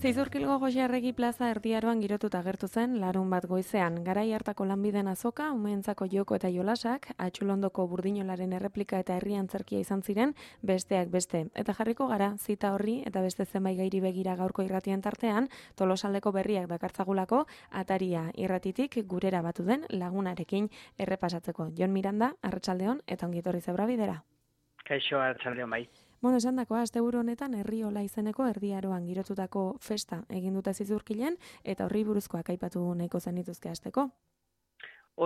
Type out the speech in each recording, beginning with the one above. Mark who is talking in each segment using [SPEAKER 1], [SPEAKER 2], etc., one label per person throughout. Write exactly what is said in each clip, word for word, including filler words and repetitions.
[SPEAKER 1] Zizurkilgo Goiarregi plaza Erdiaroan girotuta agertu zen larun bat goizean. Garai hartako lanbiden azoka, umeentzako joko eta jolasak, Atxulondoko burdinolaren erreplika eta herri antzerkia izan ziren besteak beste. Eta jarriko gara, zita horri eta beste zenbait gairi begira gaurko irratien tartean, Tolosaldeko berriak dakartzagulako, ataria irratitik gurera batu den lagunarekin errepasatzeko. Jon Miranda, arratsaldeon eta ongi etorri zebra bidera.
[SPEAKER 2] Kaixo, arratsaldeon bai.
[SPEAKER 1] Bueno, esan dakoa, asteburu honetan Herriola izeneko Erdiaroan girotutako festa egin dute Zizurkilen eta horri buruzkoak aipatu nahiko zenituzke hasteko.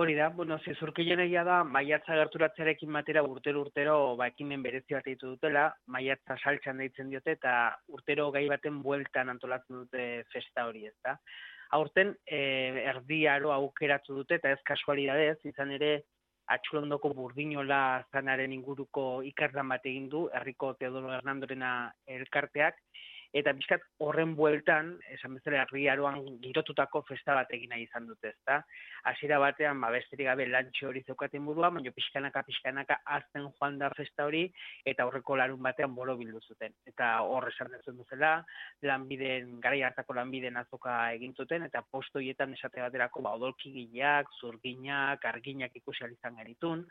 [SPEAKER 2] Hori da, bueno, Zizurkilen egia da, maiatza gerturatzearekin batera urtero urtero ba, ekimen berezi bat ditu dutela, maiatza saltxan deitzen diote eta urtero gai baten bueltan antolatzen dute festa hori, ez da. Aurten, eh, Erdiaro aukeratu dute eta ez kasualidadez, izan ere, Atxulondoko burdinola zanaren inguruko ikarlan bat egin du, herriko Teodoro Hernandorena elkarteak, eta bizkat horren bueltan, esan bezala Erdiaroan girotutako festa bat egin nahi izan dute, ezta? Hasiera batean, ba, besterik gabe lantxo hori zeukaten burua, baina pixkanaka, pixkanaka azten joan da festa hori, eta horreko larun batean boro bildu zuten. Eta hor esan dezen duzela, lanbiden, garai hartako lanbiden azoka egin zuten, eta posto horietan esate baterako, ba, odolkigileak, zurginak, arginak ikusi ahal izan genitun,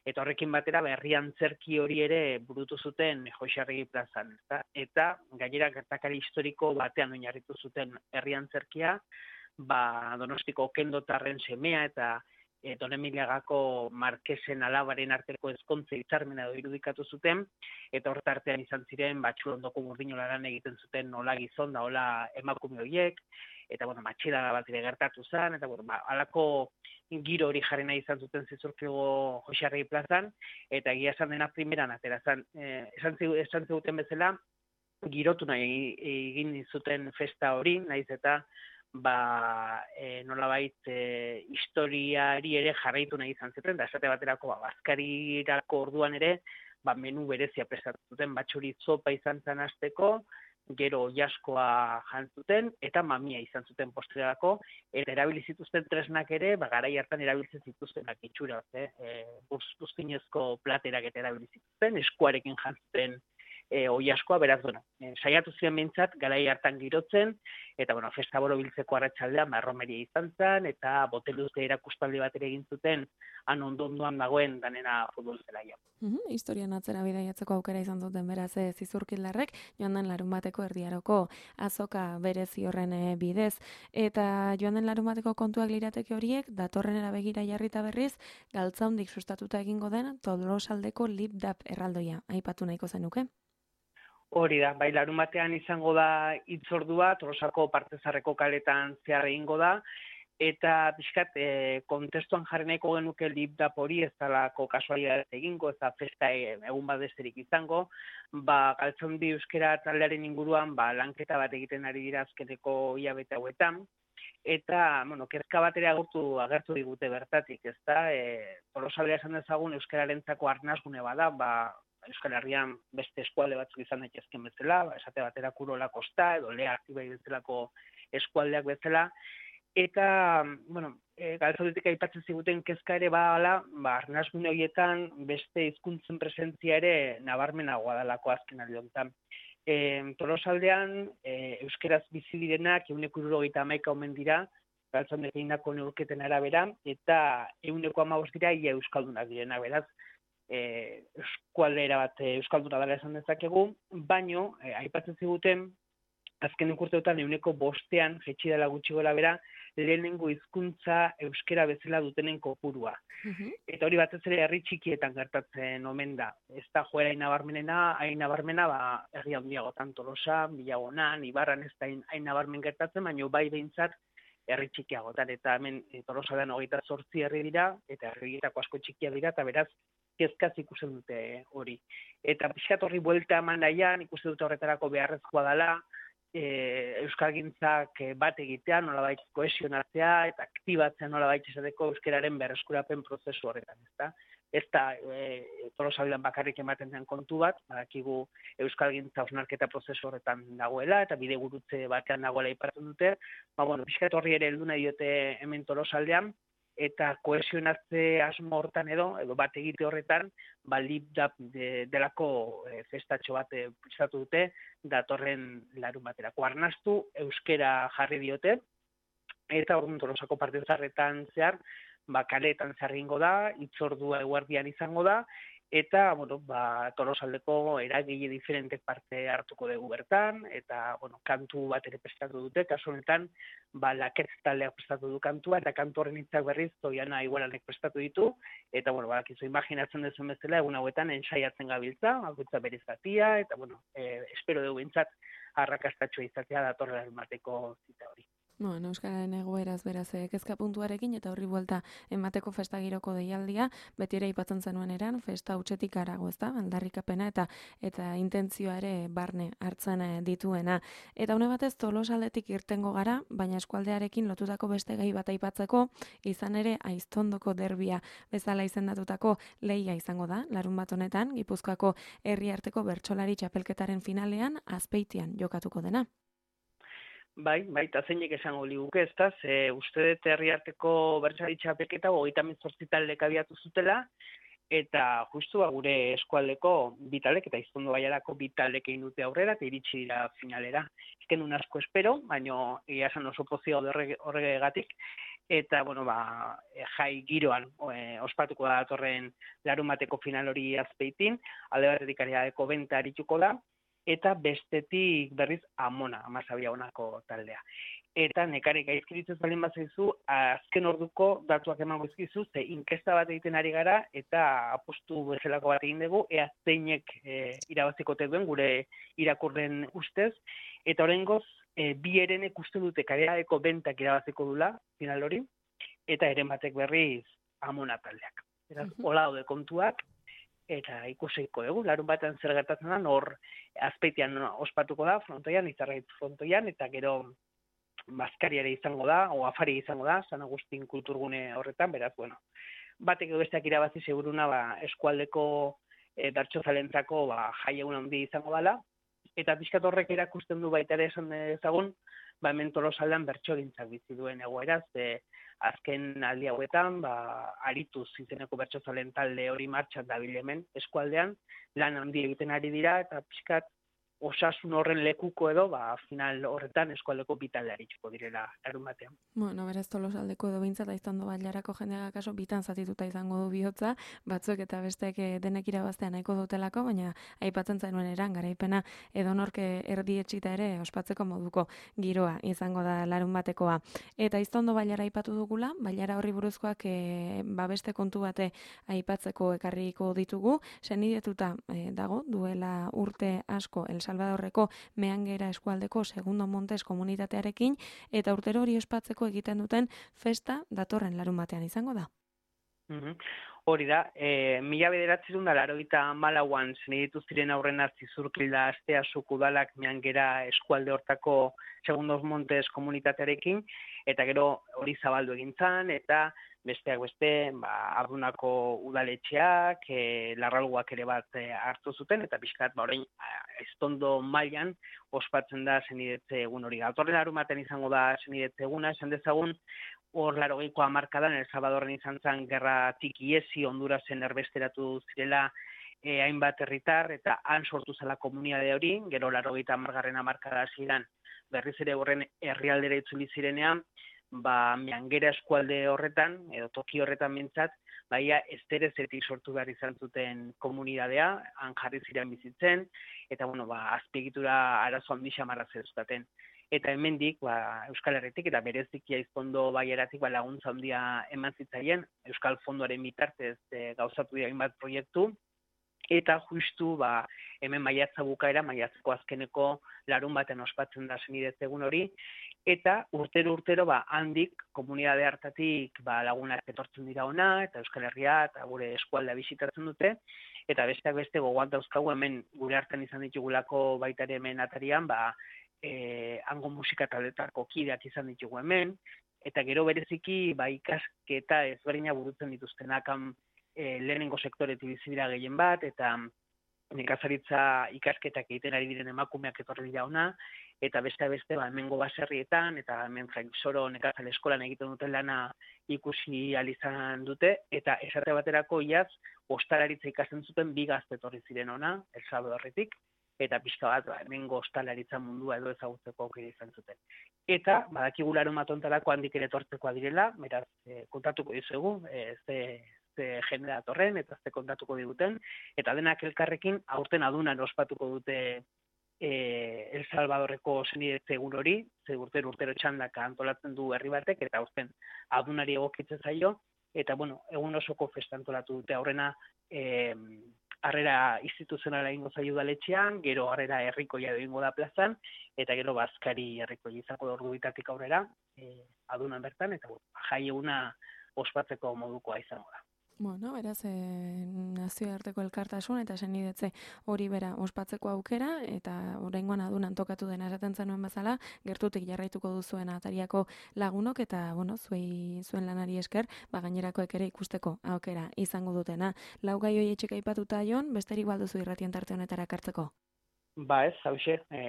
[SPEAKER 2] eta horrekin batera herri antzerki hori ere burutu zuten Goiarregi plazan. Eta, eta gainera gertakari historiko batean oinarritu zuten herri antzerkia, ba, Donostiko Kendotarren semea eta e, Donemiliagako Markesen alabaren arteko ezkontze hitzarmena edo irudikatu zuten, eta horretartean izan ziren Atxulondoko burdinolaran egiten zuten nola gizon da hola emakume horiek, eta bueno, matxeda bat ere gertatu zen, eta bueno, ba, alako giro hori jarri nahi izan zuten Zizurkilgo Goiarregi plazan, eta egia esan dena primeran atera zen, eh, esan, esan ziguten bezala, girotu nahi egin zuten festa hori, nahiz eta ba, e, nolabait e, historiari ere jarraitu nahi izan zuten, da esate baterako ba, bazkarirako orduan ere, ba, menu berezia prestatu zuten, batxuri zopa izan zen hasteko, gero jaskoa jantzuten, eta mamia izan zuten postrerako, eta erabili zituzten tresnak ere, ba, garai hartan erabiltzen zituztenak itxura, eh? e, buztinezko platerak eta erabili zituzten, eskuarekin jantzuten e, oiaskoa, beraz, bueno, e, saiatu ziren behintzat, garai hartan girotzen, eta, bueno, festa boro biltzeko arratsaldean, ba, romeria izan zen, eta boteluzte erakustaldi bat ere egin zuten, han ondo-ondoan dagoen danena futbol zelaia.
[SPEAKER 1] Mm-hmm, historian atzera bidaiatzeko aukera izan zuten beraz e, Zizurkildarrek, joan den larun bateko Erdiaroko azoka berezi horren e, bidez, eta joan den larun bateko kontuak lirateke horiek, datorrenera begira jarrita berriz, galtzaundik sustatuta egingo den Tolosaldeko Lip-Dap erraldoia, aipatu nahiko zenuke?
[SPEAKER 2] Hori da, bai, larun batean izango da hitzordua, Tolosako partezarreko kaletan zehar egingo da, eta pixkat, e, kontestuan jarri nahiko genuke Lip-Dap hori ez dalako kasualidadez egingo, ez da festa egun bat besterik izango, ba, galtzaundi euskera taldearen inguruan, ba, lanketa bat egiten ari dira azkeneko hilabete hauetan, eta, bueno, kezka bat ere agertu, agertu digute bertatik, ez da, e, Tolosaldea esan dezagun euskararentzako arnasgune bada, ba, Euskal Herrian beste eskualde batzuk izan daitezken bezala, ba, esate batera Kurola Kosta edo Lea Artibai bezalako eskualdeak bezala, eta, bueno, e, galtzaudetik aipatzen ziguten kezka ere bada, ba, arnasgune horietan beste hizkuntzen presentzia ere nabarmenagoa dalako azken aldi honetan. E, Tolosaldean e, euskeraz bizi direnak ehuneko hirurogeita hamaika omen dira, galtzaudek egindako neurketen arabera, eta ehuneko hamabost dira ia euskaldunak direnak, beraz, E, eskualdera bat e, euskalduna dela esan dezakegu, baino, e, aipatzen ziguten, azken urteotan ehuneko bostean, jetxi dela gutxi gola bera, lehenengo hizkuntza euskera bezala dutenen kopurua. Uh-huh. Eta hori batez ere herri txikietan gertatzen omen da. Ez da joera hain nabarmenena, hain nabarmena, ba, herri handiagotan Tolosa, Bilagonan, Ibarran ez da hain nabarmen gertatzen, baino bai behintzat herri txikiagotan, eta hemen e, Tolosaldean hogeita zortzi herri dira, eta herrietako asko txikia dira, eta beraz, kezkaz ikusten dute hori. Eta pixkat horri buelta eman nahian, ikusten dute horretarako beharrezkoa dela, e, euskalgintzak bat egitea, nolabait kohesionatzea, eta aktibatzea nolabait esateko euskararen berreskurapen prozesu horretan, ezta? Ez da e, Tolosaldean bakarrik ematen den kontu bat, badakigu euskalgintza hausnarketa prozesu horretan dagoela, eta bide gurutze batean dagoela aipatzen dute, ba, bueno, pixkat horri ere heldu nahi diote hemen Tolosaldean, eta kohesionatze asmo hortan edo, edo bat egite horretan, ba, lipdap de, delako e, festatxo bat e, prestatu dute, datorren larun baterako. Arnastu, euskera jarri diote, eta orduan Tolosako partezarretan zehar, ba, kaleetan zehar egingo da, hitzordua eguerdian izango da, eta, bueno, ba, Tolosaldeko eragile diferentek parte hartuko dugu bertan, eta, bueno, kantu bat ere prestatu dute, kasu honetan, ba, Laketz taldeak prestatu du kantua, eta kantu horren hitzak berriz, Zoiana Igualanek prestatu ditu, eta, bueno, ba, kizu, imaginatzen duzun bezala, egun hauetan ensaiatzen gabiltza, bakoitza berez zatia, eta, bueno, eh, espero dugu bintzat, arrakastatxoa izatea datorren mateko zita hori.
[SPEAKER 1] Bueno, Euskararen egoeraz beraz kezka puntuarekin eta horri buelta emateko festa giroko deialdia, beti ere aipatzen zenuen eran, festa hutsetik harago, ezta? Aldarrikapena eta eta intentzioa ere barne hartzen dituena. Eta une batez Tolosaldetik irtengo gara, baina eskualdearekin lotutako beste gai bat aipatzeko, izan ere Aiztondoko derbia bezala izendatutako lehia izango da, larun bat honetan, Gipuzkoako herriarteko bertsolari txapelketaren finalean Azpeitian jokatuko dena.
[SPEAKER 2] Bai, bai, eta zeinek esango liguke, ez da, ze uste dut herriarteko bertsolari txapelketa hogeita hemezortzi taldek abiatu zutela, eta justu ba, gure eskualdeko bi taldek eta Aiztondo Bailarako bi taldek egin dute aurrera eta iritsi dira finalera. Ezken un asko espero, baina egia esan oso pozio horregatik, eta bueno, ba, jai giroan e, ospatuko da datorren larun bateko final hori Azpeitin, alde batetik Ariadeko Benta arituko da, eta bestetik berriz Amona, Amasabia honako taldea. Eta nekare gaizkiritzen baldin bazaizu, azken orduko datuak emango izkizu, ze inkesta bat egiten ari gara, eta apostu bezalako bat egin dugu, ea zeinek e, irabaziko duen gure irakurren ustez, eta oraingoz e, bi erenek uste dute Ariadeko Bentak irabaziko dula, final hori, eta eren batek berriz Amona taldeak. Beraz, hola daude kontuak, eta ikusiko dugu, larun batean zer gertatzen da, hor Azpeitian ospatuko da, frontoian, Izarraitz frontoian, eta gero Bazkari ere izango da, o Afari izango da, San Agustin kulturgune horretan, beraz, bueno, batek edo besteak irabazi seguruna, ba, eskualdeko e, bertsozalentzako ba, jai egun handi izango dela, eta pixkat horrek erakusten du baita ere esan dezagun, ba, hemen Tolosaldean bertsogintzak bizi duen egoeraz, e, azken aldi hauetan, ba, arituz izeneko bertsozalen talde hori martxan dabil hemen eskualdean, lan handi egiten ari dira, eta pixkat osasun horren lekuko edo, ba, final horretan eskualdeko bitalde arituko direla larun batean.
[SPEAKER 1] Bueno, berez Tolosaldeko edo bintzat Aiztondo Bailarako jendeak kaso bitan zatituta izango du bihotza, batzuk eta besteek denek irabaztea nahiko dutelako, baina aipatzen zainuen eran garaipena edonorke erdietsita ere ospatzeko moduko giroa izango da larun batekoa. Eta Aiztondo Bailara aipatu dugula, Bailara horri buruzkoak e, ba beste kontu bate aipatzeko ekarriko ditugu, senidetuta e, dago, duela urte asko El Salvadorreko Meangera eskualdeko Segundo Montes komunitatearekin, eta urtero hori ospatzeko egiten duten festa datorren larun batean izango da.
[SPEAKER 2] Mm-hmm. Hori da, e, mila bederatzerun da laurogeita hamalauan zeneditu ziren aurrena Zizurkilda astea sukudalak Meangera eskualde hortako Segundo Montes komunitatearekin, eta gero hori zabaldu egin zan, eta besteak beste, ba, Ardunako udaletxeak, e, larralguak ere bat e, hartu zuten, eta pixkat, ba, orain, Aiztondo mailan ospatzen da zenidetze egun hori. Datorren larun batean izango da zenidetze eguna, esan dezagun, hor larogeiko hamarkadan, El Salvadorren izan zen gerra tikiesi, Hondurasen erbesteratu zirela e, hainbat herritar, eta han sortu zela komunitate hori, gero larogeita hamargarren hamarkada ziren, berriz ere horren herrialdera itzuli zirenean, ba, Meangera eskualde horretan, edo toki horretan mintzat, baia esterezetik sortu behar izan zuten komunitatea, han jarri ziren bizitzen, eta, bueno, ba, azpiegitura arazo handi xamarra zeruztaten. Eta hemendik, ba, Euskal Herritik eta bereziki Aiztondo Baiaratik ba, laguntza handia eman zitzaien, Euskal Fondoaren bitartez e, gauzatu dira hainbat proiektu, eta justu ba, hemen maiatza bukaera, maiatzeko azkeneko larun baten ospatzen da zenidetze egun hori, eta urtero-urtero ba, handik komunitate hartatik ba, lagunak etortzen dira ona, eta Euskal Herria eta gure eskualdea bisitatzen dute, eta besteak beste gogoan dauzkagu hemen gure hartan izan ditugulako baita ere hemen atarian, ba, e, hango musika taldetako kideak izan ditugu hemen, eta gero bereziki ba, ikasketa ezberdina burutzen dituztenak e, lehenengo sektoretik bizi dira gehien bat, eta nekazaritza ikasketak egiten ari diren emakumeak etorri dira ona, eta beste beste ba, hemengo baserrietan, eta hemen Soro nekazal eskolan egiten duten lana ikusi ahal izan dute, eta esate baterako iaz, ostalaritza ikasten zuten bi gazte etorri ziren ona, El Salvadorretik, eta pixka bat, ba, hemengo ostalaritza mundua edo ezagutzeko aukera izan zuten. Eta, badakigu larunbat honetako handik ere etortzekoa direla, beraz, e, kontatuko dizuegu, e, ze, ze jende datorren, eta ze kontatuko diguten, eta denak elkarrekin aurten adunan ospatuko dute e, El Salvadorreko senidetze egun hori, ze urtero urtero txandaka antolatzen du herri batek, eta aurten adunari egokitzen zaio, eta, bueno, egun osoko festa antolatu dute aurrena, e, harrera instituzionala egingo zaio udaletxean, gero harrera herrikoia egingo da plazan, eta gero bazkari herrikoia izango da ordu bitatik aurrera, e, adunan bertan, eta bueno, jai eguna ospatzeko modukoa izango da.
[SPEAKER 1] Bueno, beraz, e, nazioarteko elkartasun eta senidetze hori bera ospatzeko aukera, eta oraingoan adunan tokatu dena esaten zenuen bezala, gertutik jarraituko duzuen atariako lagunok, eta, bueno, zuei, zuen lanari esker, ba, gainerakoek ere ikusteko aukera izango dutena. Lau gai hori etxeka aipatuta jon, besterik balduzu irratien tarte honetara kartzeko?
[SPEAKER 2] Ba ez, hauxe, e,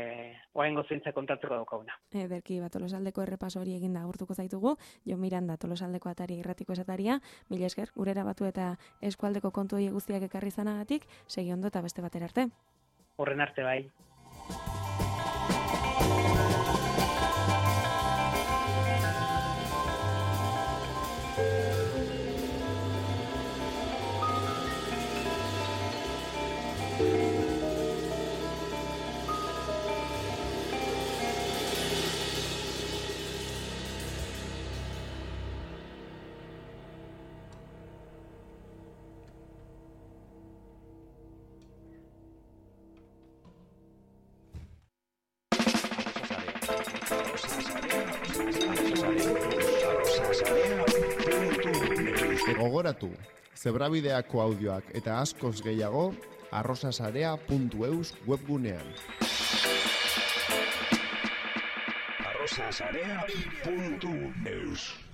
[SPEAKER 2] oraingo zeintza kontatzeko daukaguna.
[SPEAKER 1] Ederki, ba, Tolosaldeko errepaso hori eginda agurtuko zaitugu, Jon Miranda, Tolosaldeko atari irratiko esataria, mila esker, gurera batu eta eskualdeko kontu hori guztiak ekarri zanagatik, segi ondo eta beste batera arte.
[SPEAKER 2] Horren arte bai.
[SPEAKER 3] Gogoratu, zebrabideako audioak eta askoz gehiago arrosasarea puntu eus webgunean.
[SPEAKER 4] arrosasarea puntu eus